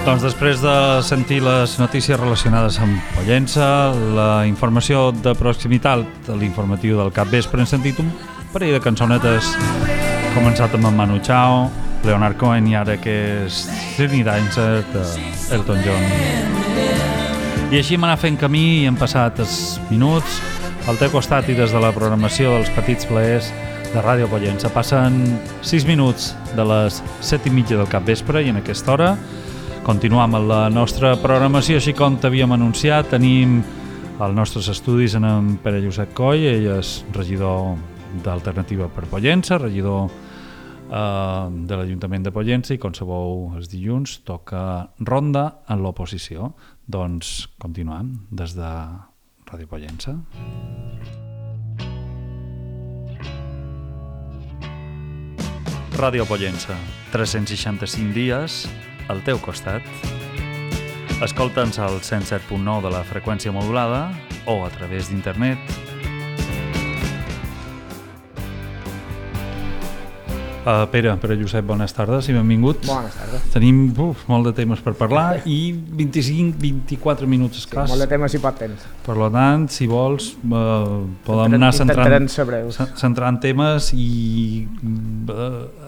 Doncs després de sentir les notícies relacionades amb Pollença, la informació de proximitat, l'informatiu del capvespre, hem sentit un parell de cançonetes, començat amb en Manu Chao, Leonard Cohen i ara que és Sydney Dancer de Elton John. I així hem anat fent camí i hem passat els minuts al teu costat i des de la programació dels petits plaers de Ràdio Pollença. Passen 6 minuts de les 7:30 del capvespre i en aquesta hora continuem amb la nostra programació. Així com t'havíem anunciat, tenim als nostres estudis en Pere Llucet Coll, ell és regidor d'Alternativa per Pollença, regidor de l'Ajuntament de Pollença, i com sabeu els dilluns toca ronda en l'oposició. Doncs continuem des de Ràdio Pollença. Ràdio Pollença, 365 dies al teu costat. Escolta'ns al 107.9 de la freqüència modulada o a través d'internet. Pere Llucet, bones tardes i benvingut. Bones tardes. Tenim molt de temes per parlar i 25-24 minuts escàs. Sí, molt de temes i poc temps. Per tant, si vols, podem anar centrant temes i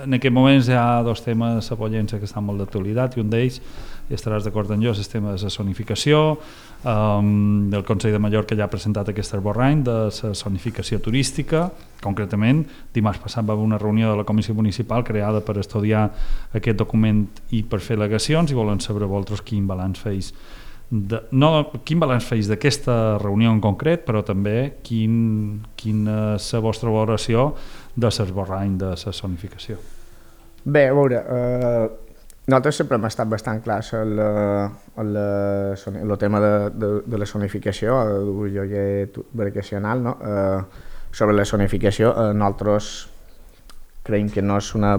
en aquest moment hi ha dos temes a Pollença que estan molt d'actualitat i un d'ells, i estaràs d'acord amb jo, és el tema de la zonificació. El Consell de Mallorca ja ha presentat aquest esborrany de la zonificació turística. Concretament, dimarts passat va haver una reunió de la Comissió Municipal creada per estudiar aquest document i per fer al·legacions, i volen saber vosaltres quin balanç feis d'aquesta reunió en concret, però també quina és la vostra valoració de l'esborrany de la zonificació. Bé, a veure, nosaltres sempre hem estat bastant clars en el tema de la zonificació, el lloguer vacacional, no? Sobre la zonificació, nosaltres creiem que no és una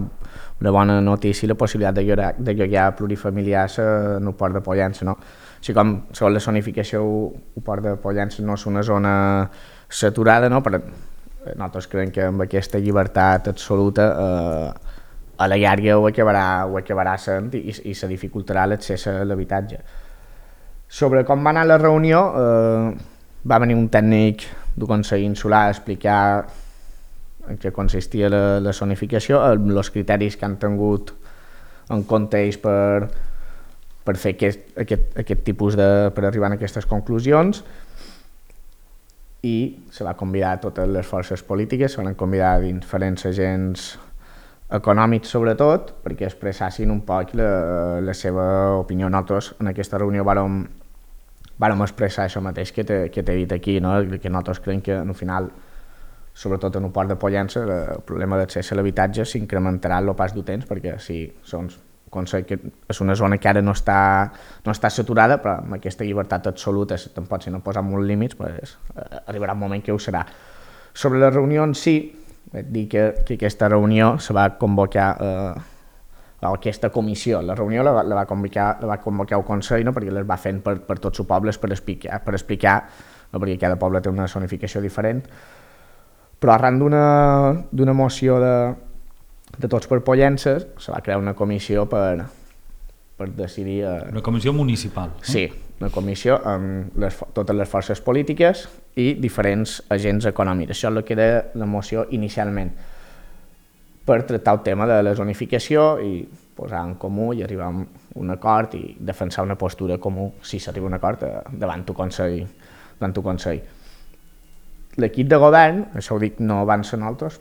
bona notícia la possibilitat de lloguer plurifamiliars en el Port de Pollença, no? Així com sobre la zonificació el Port de Pollença no és una zona saturada, no? Però nosaltres creiem que amb aquesta llibertat absoluta a la llarga ho acabarà sent i se dificultarà l'accés a l'habitatge. Sobre com va anar la reunió, va venir un tècnic del Consell Insular a explicar en què consistia la zonificació, els criteris que han tingut en compte ells per fer aquest tipus per arribar a aquestes conclusions, i se va convidar a totes les forces polítiques, se van convidar diferents agents econòmics sobretot, perquè expressassin un poc la seva opinió. Nosaltres en aquesta reunió vàrem expressar això mateix que t'he dit aquí, no? Que nosaltres creiem que al final, sobretot en el Port de Pollença, el problema d'accés a l'habitatge s'incrementarà el pas del temps, perquè sí, que és una zona que ara no està saturada, però amb aquesta llibertat absoluta, tampoc si no posem molts límits, pues, arribarà un moment que ho serà. Sobre la reunió en si, vaig dir que aquesta reunió se va convocar aquesta comissió. La reunió la va convocar el Consell, no? Perquè les va fent per tots els pobles per explicar, no? Perquè cada poble té una zonificació diferent, però arran d'una moció de Tots per Pollença se va crear una comissió per decidir... Una comissió municipal. Sí, una comissió amb totes les forces polítiques i diferents agents econòmics. Això és el que era la moció inicialment, per tractar el tema de la zonificació i posar en comú i arribar a un acord i defensar una postura comú, si s'arriba a un acord, davant el Consell. L'equip de govern, això ho dic, no van ser nosaltres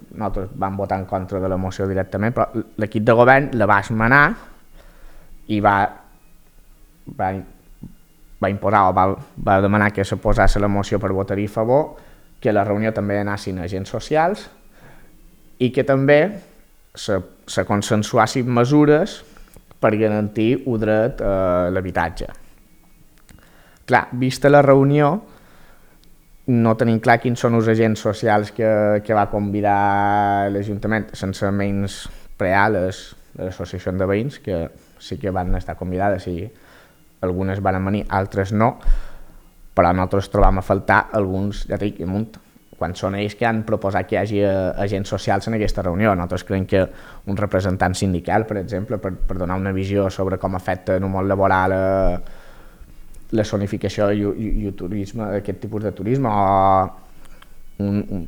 vam votar en contra de la moció directament, però l'equip de govern la va esmenar i va imposar o va demanar que se posés la moció per votar-hi a favor, que a la reunió també anessin agents socials i que també se consensuassin mesures per garantir el dret a l'habitatge. Clar, vista la reunió, no tenim clar quins són els agents socials que va convidar l'Ajuntament, sense menys preales de l'associació de veïns, que sí que van estar convidades i algunes van venir, altres no, però nosaltres trobam a faltar alguns, ja dic, quan són ells que han proposat que hi hagi agents socials en aquesta reunió. Nosaltres creiem que un representant sindical, per exemple, per donar una visió sobre com afecta en un món laboral la zonificació i el turisme, aquest tipus de turisme, o un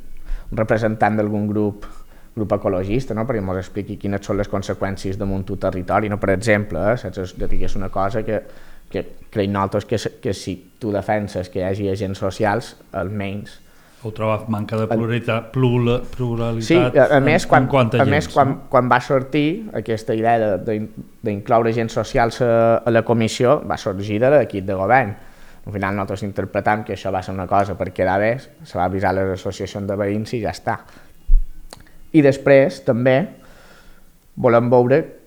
representant d'algun grup ecologista, no? Perquè ens expliqui quines són les conseqüències damunt el territori, no? Per exemple, saps? És una cosa que creiem nosaltres que si tu defenses que hi hagi agents socials, almenys... Heu trobat manca de pluralitat sí, a més, quan va sortir aquesta idea d'incloure agents socials a la comissió, va sorgir de l'equip de govern. Al final nosaltres interpretam que això va ser una cosa per quedar bé, se va avisar les associacions de veïns i ja està. I després també volem veure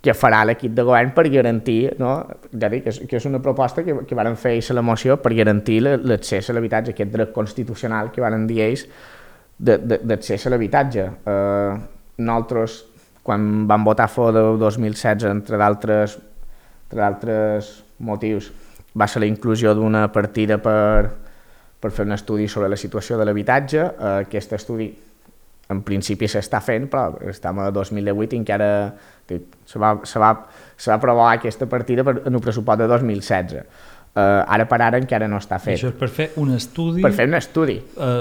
què farà l'equip de govern per garantir, no? Ja dic, que és una proposta que varen fer ells a la moció per garantir l'accés a l'habitatge, aquest dret constitucional que varen dir ells d'accés a l'habitatge. Nosaltres, quan vam votar a favor del 2016, entre d'altres motius, va ser la inclusió d'una partida per fer un estudi sobre la situació de l'habitatge. Aquest estudi en principi s'està fent, però estem a 2018 i encara se va aprovar aquesta partida en el pressupost de 2016. Ara per ara encara no està fet. Això és per fer un estudi? Per fer un estudi.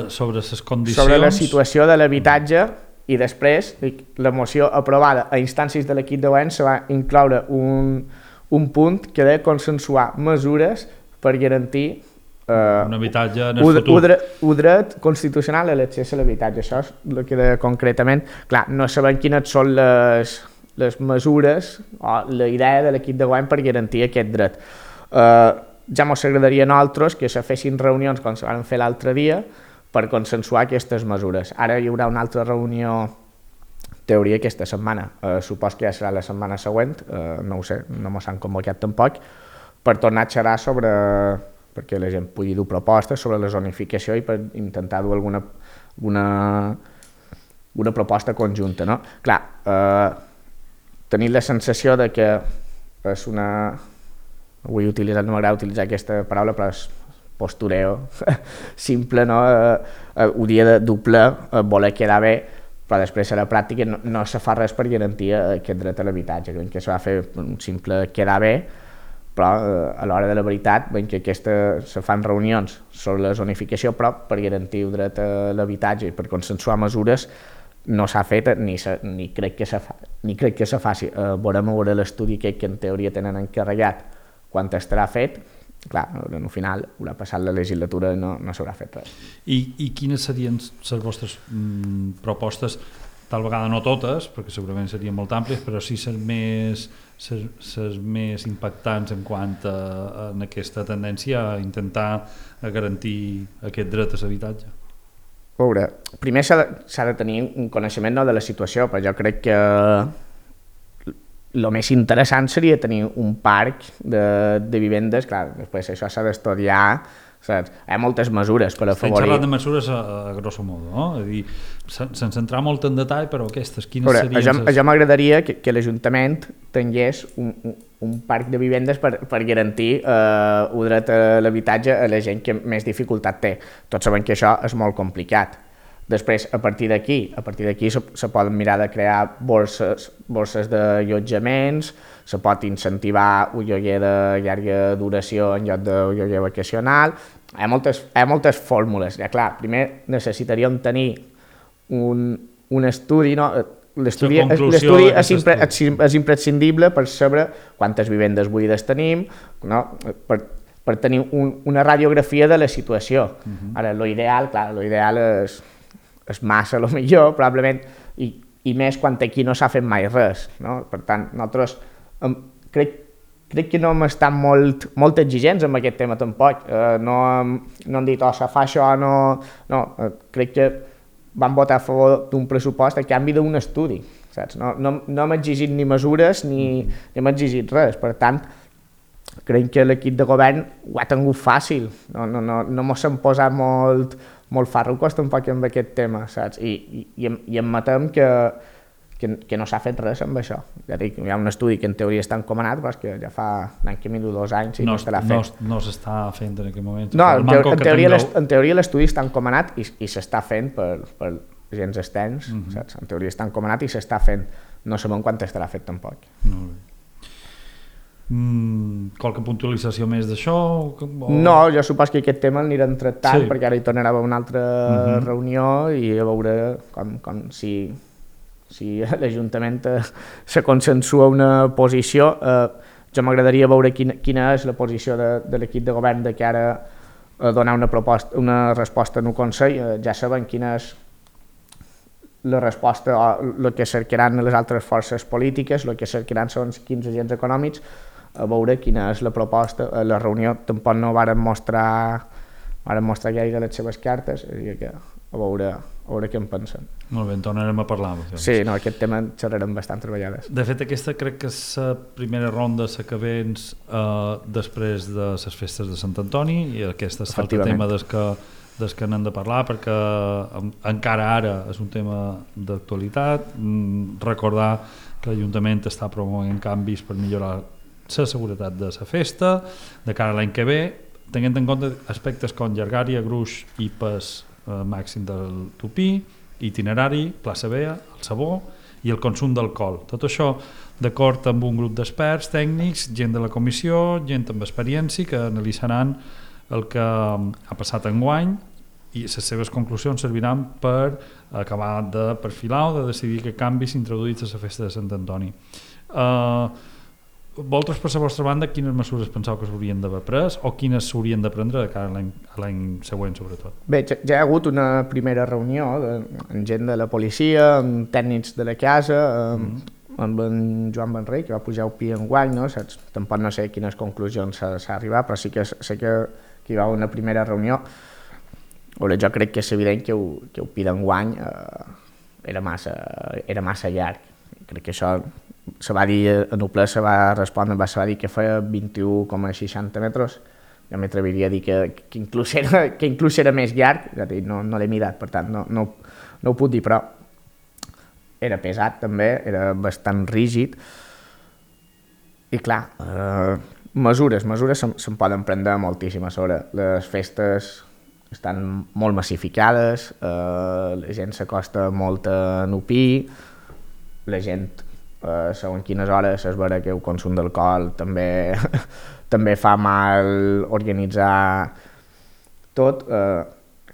Sobre les condicions... Sobre la situació de l'habitatge, i després la moció aprovada a instàncies de l'equip de govern se va incloure un punt que ha de consensuar mesures per garantir un habitatge en el futur. Un dret constitucional a l'accés a l'habitatge. Això és el que concretament... Clar, no sabem quines són les mesures o la idea de l'equip de govern per garantir aquest dret. Ja ens agradaria a nosaltres que se fessin reunions com se van fer l'altre dia per consensuar aquestes mesures. Ara hi haurà una altra reunió, teoria, aquesta setmana. Supos que ja serà la setmana següent, no ho sé, no mos han convocat tampoc, per tornar a xerrar sobre... perquè la gent pugui dur propostes sobre la zonificació i per intentar dur alguna proposta conjunta, no? Clar, tenir la sensació de que és una... no m'agrada utilitzar aquesta paraula, però és postureo simple, no? Ho dia de doble, voler quedar bé, però després a la pràctica no se fa res per garantir aquest dret a l'habitatge, que se va fer un simple quedar bé, però a l'hora de la veritat veiem que se fan reunions sobre la zonificació, però per garantir el dret a l'habitatge i per consensuar mesures no s'ha fet ni crec que se faci. Veurem a veure l'estudi que en teoria tenen encarregat quan estarà fet. Clar, al final haurà passat la legislatura i no s'haurà fet res. I quines serien les vostres propostes? Tal vegada no totes, perquè segurament serien molt àmplies, però sí les més impactants en quant a aquesta tendència a intentar garantir aquest dret a l'habitatge. A veure, primer s'ha de tenir un coneixement de la situació, però jo crec que el més interessant seria tenir un parc de vivendes. Clar, després això s'ha d'estudiar, saps? Hi ha moltes mesures per afavorir... Estem xerrant de mesures a grosso modo, no? És a dir, sense entrar molt en detall, però aquestes, quines serien... Jo m'agradaria que l'Ajuntament tingués un parc de vivendes per garantir el dret a l'habitatge a la gent que més dificultat té. Tots sabem que això és molt complicat. Després, a partir d'aquí se poden mirar de crear borses d'allotjaments, se pot incentivar un lloguer de llarga duració en lloc d'un lloguer vacacional. Hi ha moltes fórmules. Ja, clar, primer necessitaríem tenir un estudi, no? L'estudi és imprescindible per saber quantes vivendes buides tenim, no? Per tenir una radiografia de la situació. Ara, l'ideal és massa, millor, probablement, i més quan aquí no s'ha fet mai res, no? Per tant, nosaltres crec que no hem estat molt exigents amb aquest tema tampoc. No hem dit, se fa això, no. Crec que vam votar a favor d'un pressupost a canvi d'un estudi, saps? No hem exigit ni mesures ni hem exigit res. Per tant, crec que l'equip de govern ho ha tingut fàcil. No mos hem posat molt farrucos tampoc amb aquest tema, saps? I admetem que que no s'ha fet res amb això. Ja dic, hi ha un estudi que en teoria està encomanat, però és que ja fa un any que miro 2 anys i no estarà fet. No s'està fent en aquest moment. No, en teoria l'estudi està encomanat i s'està fent per agents externs, saps? En teoria està encomanat i s'està fent. No sabem quan estarà fet tampoc. Qualque puntualització més d'això? No, jo supos que aquest tema l'anirem tractant perquè ara hi tornarà a haver una altra reunió i a veure com si l'Ajuntament se consensua una posició. Jo m'agradaria veure quina és la posició de l'equip de govern de cara a donar una resposta en un Consell. Ja sabem quina és la resposta o el que cercaran les altres forces polítiques, el que cercaran són quins agents econòmics, a veure quina és la proposta. A la reunió tampoc no varen mostrar gaire les seves cartes, a veure què en pensen. Molt bé, en tornarem a parlar. Sí, no, aquest tema xerrarem bastant treballades. De fet, aquesta crec que és la primera ronda s'acabens després de les festes de Sant Antoni i aquest és l'altre tema des que n'hem de parlar perquè encara ara és un tema d'actualitat. Recordar que l'Ajuntament està promovent canvis per millorar la seguretat de la festa de cara a l'any que ve, tenint en compte aspectes com llargària, gruix i pes màxim del tupí, itinerari, plaça Bea, el sabó i el consum d'alcohol. Tot això d'acord amb un grup d'experts tècnics, gent de la comissió, gent amb experiència que analitzaran el que ha passat enguany i les seves conclusions serviran per acabar de perfilar o de decidir que canvis s'introduïts a la festa de Sant Antoni. Vosaltres, per la vostra banda, quines mesures penseu que s'haurien d'haver pres o quines s'haurien de prendre de cara a l'any següent, sobretot? Bé, ja hi ha hagut una primera reunió amb gent de la policia, amb tècnics de la casa, amb en Joan Benrey, que va pujar el PI enguany, no? Tampoc no sé quines conclusions s'ha arribat, però sí que sé que hi va haver una primera reunió. Jo crec que és evident que el PI d'enguany era massa llarg. Crec que això se va dir, en el ple se va respondre, se va dir que feia 21,60 metres. Jo m'atreviria a dir que inclús era més llarg, no l'he mirat, per tant no ho puc dir, però era pesat també, era bastant rígid. I clar, mesures se'n poden prendre moltíssimes. Les festes estan molt massificades, la gent s'acosta molt a Nupí, la gent, segons quines hores es veurà que el consum d'alcohol també fa mal organitzar tot.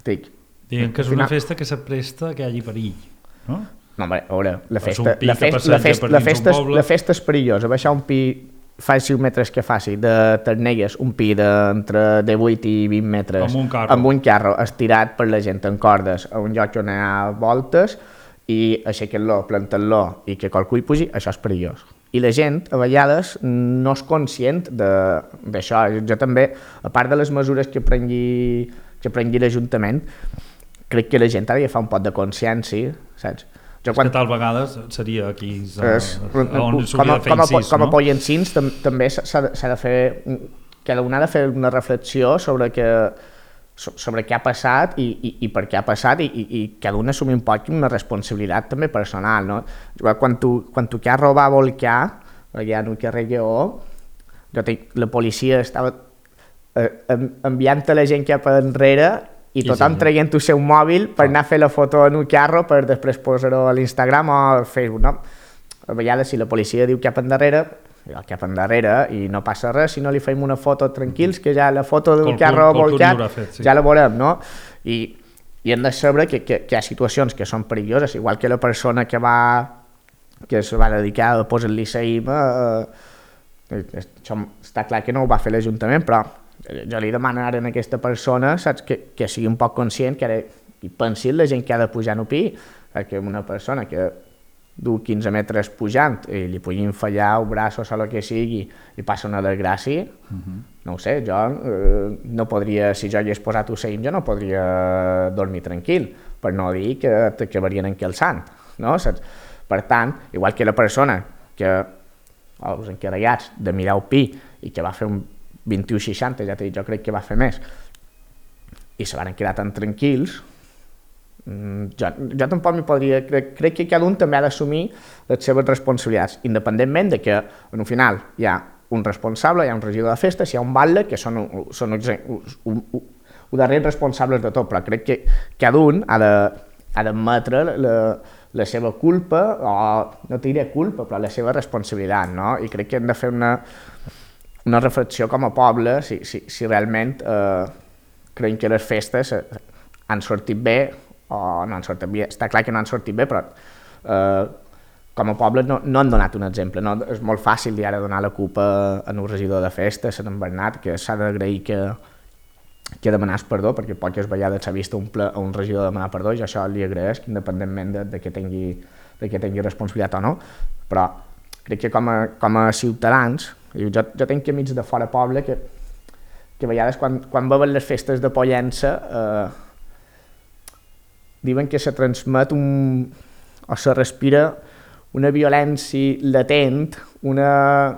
Diguem que és una festa que s'apresta que hi hagi perill, no? No, a veure, la festa és perillosa. Baixar un pi, faci els metres que faci, de Ternelles, un pi d'entre 18 i 20 metres, amb un carro estirat per la gent en cordes, a un lloc on hi ha voltes, i aixequen-lo, planten-lo i que qualcú hi pugi, això és perillós. I la gent, a vegades, no és conscient d'això. Jo també, a part de les mesures que prengui l'Ajuntament, crec que la gent ara ja fa un pot de consciència, saps? Que tal vegades seria aquí on s'hauria de fer incís, com a pollensins també s'ha de fer, cada un ha de fer una reflexió sobre què ha passat i per què ha passat i cada un assumir un poc una responsabilitat també personal, no? Quan tu carro va volcar allà en el carrer Lleó, la policia estava enviant la gent cap enrere i tothom traient el seu mòbil per anar a fer la foto en un carro per després posar-ho a l'Instagram o al Facebook, no? A vegades si la policia diu cap endarrere i no passa res, si no li fem una foto tranquils, que ja la foto d'un carro volcat ja la veurem, no? I hem de saber que hi ha situacions que són perilloses, igual que la persona que se va dedicar a posar el liceïm, això està clar que no ho va fer l'Ajuntament, però jo li demano ara a aquesta persona, saps, que sigui un poc conscient i pensi la gent que ha de pujar en pi, que una persona que du 15 metres pujant i li puguin fallar el braç o el que sigui i passa una desgràcia, no ho sé, jo no podria, si jo hagués posat Usain, jo no podria dormir tranquil, per no dir que t'acabarien encalçant, no? Saps? Per tant, igual que la persona els encarregats de mirar el pi i que va fer un 21,60, ja t'he dit, jo crec que va fer més, i se van quedar tan tranquils, Jo tampoc m'hi podria... Crec que cada un també ha d'assumir les seves responsabilitats, independentment de que, en un final, hi ha un responsable, hi ha un regidor de festes, hi ha un batlle, que són els darrers responsables de tot, però crec que cada un ha d'admetre la seva culpa, o no te diré culpa, però la seva responsabilitat, no? I crec que hem de fer una reflexió com a poble, si realment creiem que les festes han sortit bé o no han sortit bé. Està clar que no han sortit bé, però com a poble no han donat un exemple. No? És molt fàcil ara donar la culpa a un regidor de festes, a en Bernat, que s'ha d'agrair que demanàs perdó, perquè poques vegades s'ha vist a un regidor demanar perdó, i això li agraeix, independentment de que tingui responsabilitat o no, però crec que com a ciutadans, jo tinc amics de fora poble que a vegades quan veuen les festes de Pollença diuen que se transmet o se respira una violència latent, una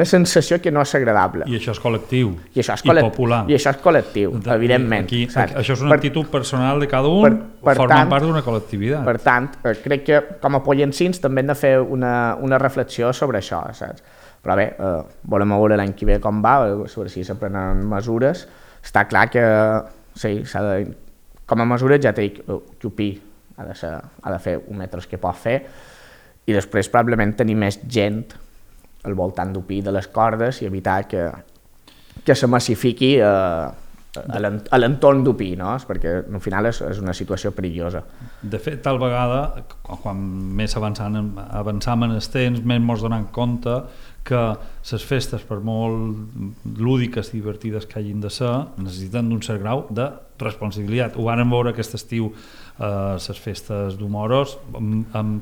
sensació que no és agradable. I això és col·lectiu i popular. I això és col·lectiu, evidentment. Això és una actitud personal de cada un, forma part d'una col·lectivitat. Per tant, crec que com a pollencins també hem de fer una reflexió sobre això, saps? Però bé, volem veure l'any que ve com va, sobre si s'aprenen mesures. Està clar que sí, com a mesures ja té que opir, ha de fer un metres que pot fer, i després probablement tenir més gent al voltant d'opir de les cordes i evitar que se massifiqui a l'entorn d'opir, no? Perquè al final és una situació perillosa. De fet, tal vegada, quan més avançam en els temps, més ens donem compte que les festes, per molt lúdiques i divertides que hagin de ser, necessiten d'un cert grau de responsabilitat. Ho vàrem veure aquest estiu les festes d'Humoros amb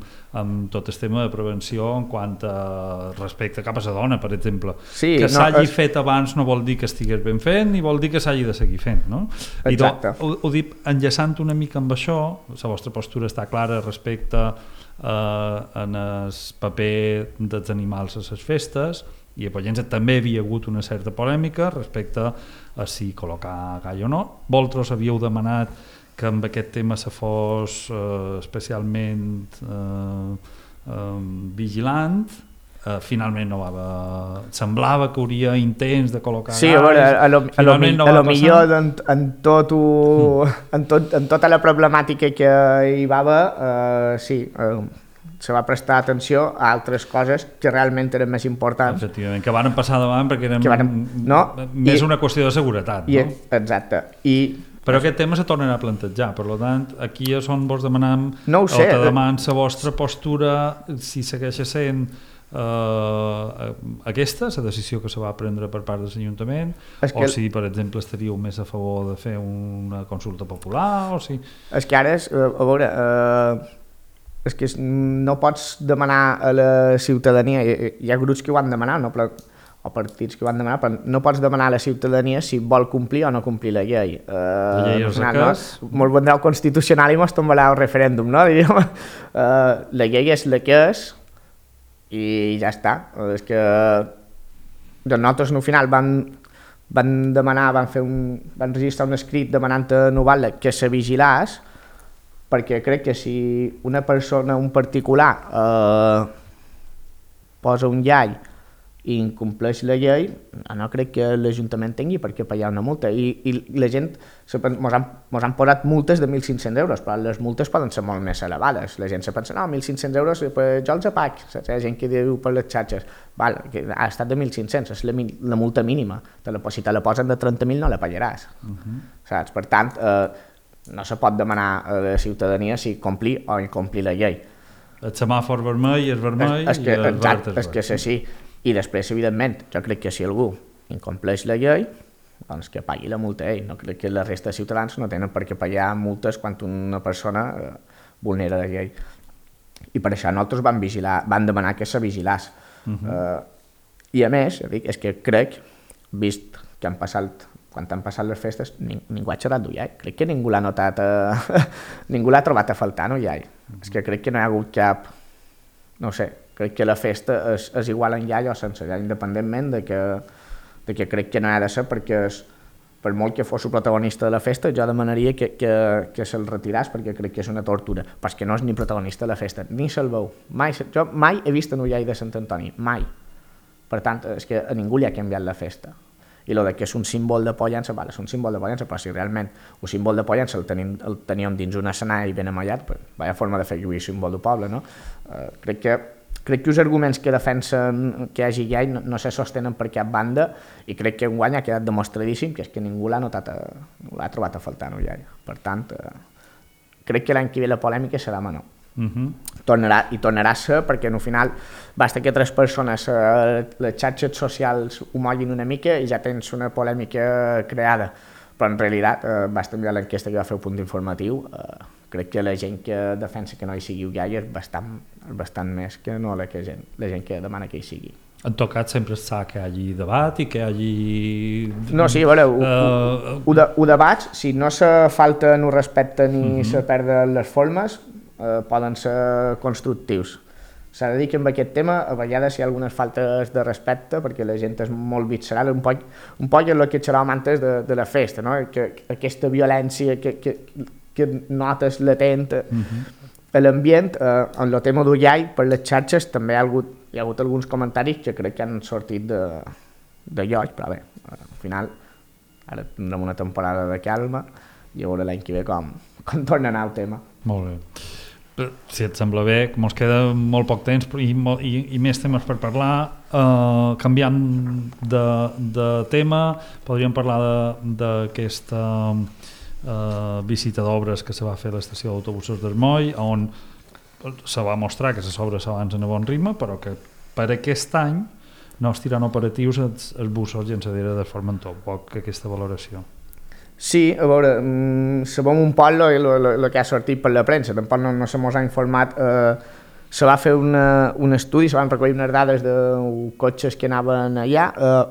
tot el tema de prevenció en quant a respecte cap a la dona, per exemple. Sí, que s'hagi fet abans no vol dir que estigués ben fet ni vol dir que s'hagi de seguir fent, no? Exacte. Ho dic enllaçant una mica amb això, la vostra postura està clara respecte en el paper dels animals a les festes, i a Pollença també hi havia hagut una certa polèmica respecte a si col·locar gall o no. Vosaltres havíeu demanat que amb aquest tema se fos especialment vigilant, finalment no va haver... Semblava que hauria intents de col·locar galls. Sí, a veure, a lo millor en tota la problemàtica que hi va haver, sí, se va prestar atenció a altres coses que realment eren més importants. Efectivament, que van passar davant perquè eren més una qüestió de seguretat. Exacte. Però aquest tema se tornarà a plantejar, per tant, aquí és on vos demanam, no ho sé, o te deman la vostra postura, si segueix sent aquesta, la decisió que se va prendre per part de l'Ajuntament, o si, per exemple, estaríeu més a favor de fer una consulta popular, o si... És que ara, a veure... és que no pots demanar a la ciutadania, hi ha grups que ho han demanat, no? O partits que ho han demanat, però no pots demanar a la ciutadania si vol complir o no complir la llei. La llei és la que és. Molt vendrà el constitucional i mos tombarà el referèndum, no? La llei és la que és i ja està. És que nosaltres al final van demanar, van registrar un escrit demanant a Noval que se vigilàs, perquè crec que si una persona, un particular, posa un llall i incompleix la llei, no crec que l'Ajuntament tingui per què pagar una multa. I la gent, mos han posat multes de 1.500 euros, però les multes poden ser molt més elevades. La gent se pensa, no, 1.500 euros, pues jo els apag. Hi ha gent que diu per les xarxes, val, que ha estat de 1.500, és la multa mínima. Si te la posen de 30.000 no la pagaràs. Saps? Per tant, no se pot demanar a la ciutadania si complir o incomplir la llei. El semàfor vermell és vermell i el verd és verd. És que és així. I després, evidentment, jo crec que si algú incompleix la llei, doncs que pagui la multa ell. No crec que la resta de ciutadans no tenen per què pagar multes quan una persona vulnera la llei. I per això nosaltres vam demanar que se vigilàs. I a més, és que crec, vist que quan han passat les festes, ningú ha xerrat d'ullall. Crec que ningú l'ha notat, ningú l'ha trobat a faltar, no, ullall. És que crec que no hi ha hagut cap... No ho sé, crec que la festa és igual en llall o sense llall, independentment de que crec que no ha de ser perquè per molt que fos el protagonista de la festa, jo demanaria que se'l retiràs perquè crec que és una tortura, però és que no és ni protagonista de la festa, ni se'l veu. Jo mai he vist en Ullall de Sant Antoni, mai. Per tant, és que a ningú li ha canviat la festa. I el que és un símbol de Pollença, vale, és un símbol de Pollença, però si realment el símbol de Pollença el teníem dins un escenari ben amallat, pues, vaya forma de fer lluir el símbol del poble, no? Crec que els arguments que defensen que hi hagi gai no se sostenen per cap banda i crec que enguany ha quedat demostradíssim que és que ningú l'ha trobat a faltar en gai. Per tant, crec que l'any que ve la polèmica serà menor. Tornarà a ser perquè al final basta que 3 persones les xarxes socials ho moguin una mica i ja tens una polèmica creada, però en realitat basta mirar l'enquesta que va fer el Punt Informatiu, crec que la gent que defensa que no hi sigui gai és bastant més que no la gent que demana que hi sigui. En tot cas, sempre es sap que hi hagi debat i que hi hagi... No, sí, a veure, ho debats, si no se falta no respecte ni se perden les formes, poden ser constructius. S'ha de dir que amb aquest tema a vegades hi ha algunes faltes de respecte perquè la gent és molt visceral, un poc és el que xerràvem antes de la festa, no? Que aquesta violència que notes latent a l'ambient, en el tema d'Ullall, per les xarxes també hi ha hagut alguns comentaris que crec que han sortit de lloc, però bé, al final ara tindrem una temporada de calma i a veure l'any que ve com torna a anar el tema. Molt bé. Si et sembla bé, com ens queda molt poc temps i més temes per parlar, canviant de tema, podríem parlar d'aquesta visita d'obres que se va fer a l'estació d'autobusos d'Ermoi, on se va mostrar que les obres s'avancen a bon ritme, però que per aquest any no es tiran operatius els busos llançadera de Formentor. Poc aquesta valoració. Sí, a veure, sabem un poc el que ha sortit per la premsa, tampoc no se mos ha informat. Se va fer un estudi, se van recollir unes dades de cotxes que anaven allà.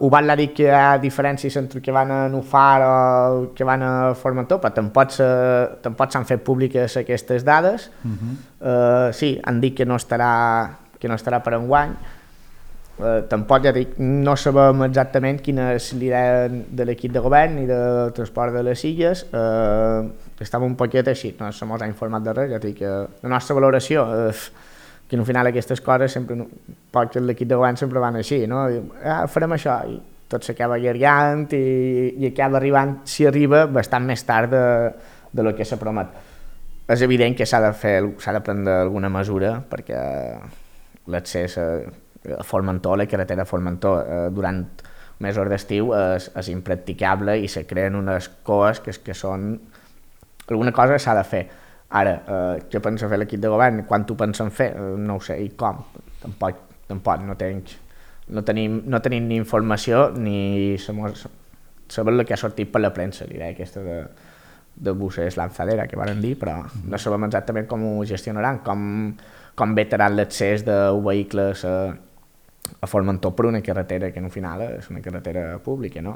Ho van dir que hi ha diferències entre que van a Nufar o que van a Formentor, però tampoc s'han fet públiques aquestes dades. Sí, han dit que no estarà per enguany. Tampoc, ja dic, no sabem exactament quina és l'idea de l'equip de govern ni de transport de les Illes. Estava un poquet així, no se mos ha informat de res. Ja dic que la nostra valoració és que al final aquestes coses sempre, l'equip de govern sempre van així, no? Farem això i tot s'acaba allargant i acaba arribant, si arriba, bastant més tard de lo que se promet. És evident que s'ha de prendre alguna mesura perquè l'accés a Formentor, la carretera de Formentor, durant mesos d'estiu és impracticable i se creen unes coes que són... Alguna cosa s'ha de fer. Ara, què pensa fer l'equip de govern? Quan ho pensen fer? No ho sé. I com? Tampoc no tenim ni informació ni saber el que ha sortit per la premsa, l'idea aquesta de buses lanzadera que van dir, però no sabem exactament com ho gestionaran, com vetaran l'accés de vehicles a Formentor per una carretera que al final és una carretera pública, no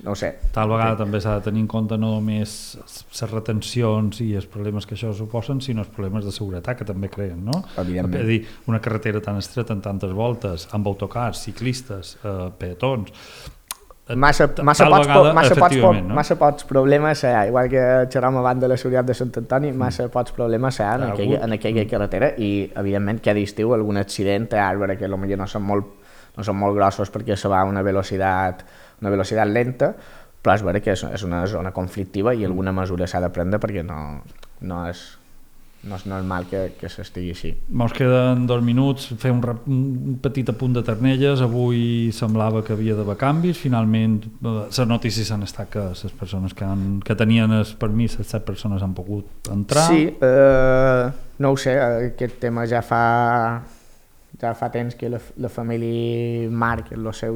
ho sé. Tal vegada també s'ha de tenir en compte no només les retencions i els problemes que això suposen, sinó els problemes de seguretat que també creen, no? Evidentment. És a dir, una carretera tan estreta amb tantes voltes, amb autocars, ciclistes, peatons... Massa pocs problemes igual que xerràvem abans de la seguretat de Sant Antoni, massa pocs problemes en aquella carretera i evidentment que a l'estiu algun accident a Àrvara que potser no són molt grossos perquè se va a una velocitat lenta, però és vera que és una zona conflictiva i alguna mesura s'ha de prendre perquè no és normal que s'estigui així. Ens queden 2 minuts, fer un petit apunt de Ternelles. Avui semblava que havia d'haver canvis, finalment les notícies han estat que les persones que tenien el permís, les 7 persones han pogut entrar. Sí, no ho sé, aquest tema ja fa temps que la família Marc, la seva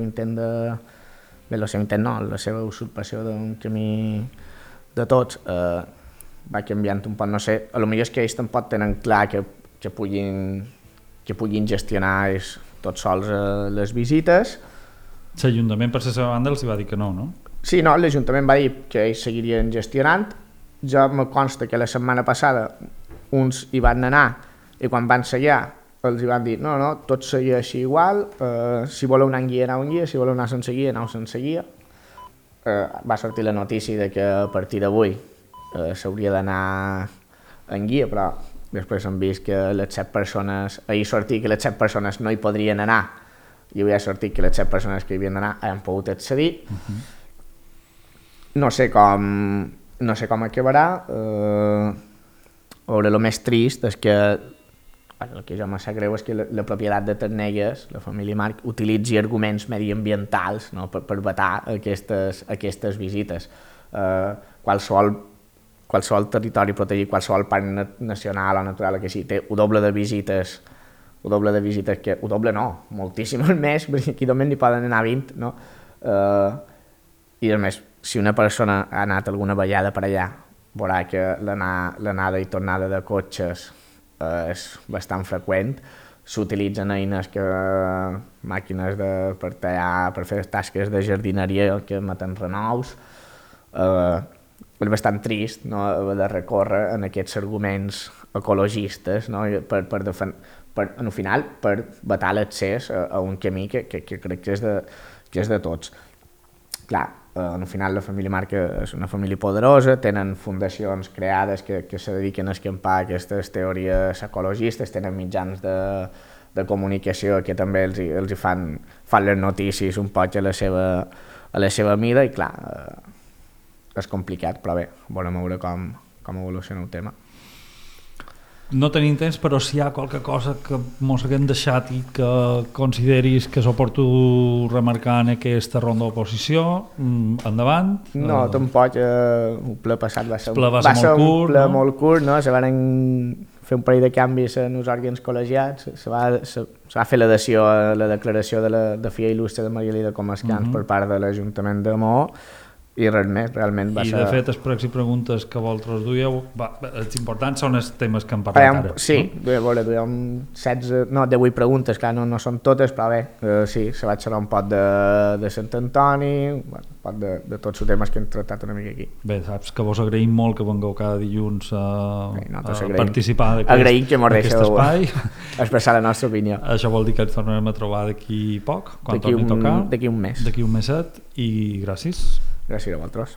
usurpació d'un camí de tots, va canviant un poc, no sé, potser és que ells tampoc tenen clar que puguin gestionar tots sols les visites. L'Ajuntament per la seva banda els va dir que no? Sí, no, l'Ajuntament va dir que ells seguirien gestionant. Jo me consta que la setmana passada uns hi van anar i quan van seguir els hi van dir no, tot seguia així igual, si voleu anar en guia, anau en guia, si voleu anar sense guia, anau sense guia. va sortir la notícia de que a partir d'avui s'hauria d'anar en guia, però després hem vist que les 7 persones, ahir sortia que les 7 persones no hi podrien anar, i avui ha sortit que les 7 persones que hi havien d'anar han pogut accedir. No sé com acabarà. Veure, el més trist és que el que jo me sap greu és que la propietat de Ternelles, la família Marc, utilitzi arguments mediambientals, no, per vetar aquestes visites. Qualsevol territori protegit, qualsevol parc nacional o natural que sí, té un doble de visites que... Un doble no, moltíssimes més, perquè aquí només n'hi poden anar 20, no? I a més, si una persona ha anat alguna vegada per allà, veurà que l'anada i tornada de cotxes és bastant freqüent. S'utilitzen eines màquines per tallar, per fer tasques de jardineria que emeten renous. És bastant trist, no, haver de recórrer en aquests arguments ecologistes, no, al final per vetar l'accés a un camí que crec que és de tots. Clar, al final la família Marc és una família poderosa, tenen fundacions creades que se dediquen a escampar aquestes teories ecologistes, tenen mitjans de comunicació que també els fan les notícies un poc a la seva mida, i clar, és complicat, però bé, volem veure com evoluciona el tema. No tenim temps, però si hi ha qualque cosa que mos haguem deixat i que consideris que és oportú remarcar en aquesta ronda d'oposició, endavant. No, tampoc, el ple passat va ser un ple molt curt, no? Se van fer un parell de canvis en els òrgans col·legiats, se va fer l'adhesió a la declaració de Filla Il·lustre de Maria Elida Comascans per part de l'Ajuntament de Maó, i res més, realment va ser... I de fet, els pregs i preguntes que vosaltres duieu, els importants són els temes que hem parlat ara. Sí, duem 18 preguntes, clar, no són totes, però bé, sí, se va xerrar un pot de Sant Antoni, un pot de tots els temes que hem tractat una mica aquí. Bé, saps que vos agraïm molt que vengueu cada dilluns a participar d'aquest espai. Expressar la nostra opinió. Això vol dir que ens tornarem a trobar d'aquí poc, quan torni a tocar. D'aquí un mes. D'aquí un meset, i gràcies. Gràcies a vosaltres.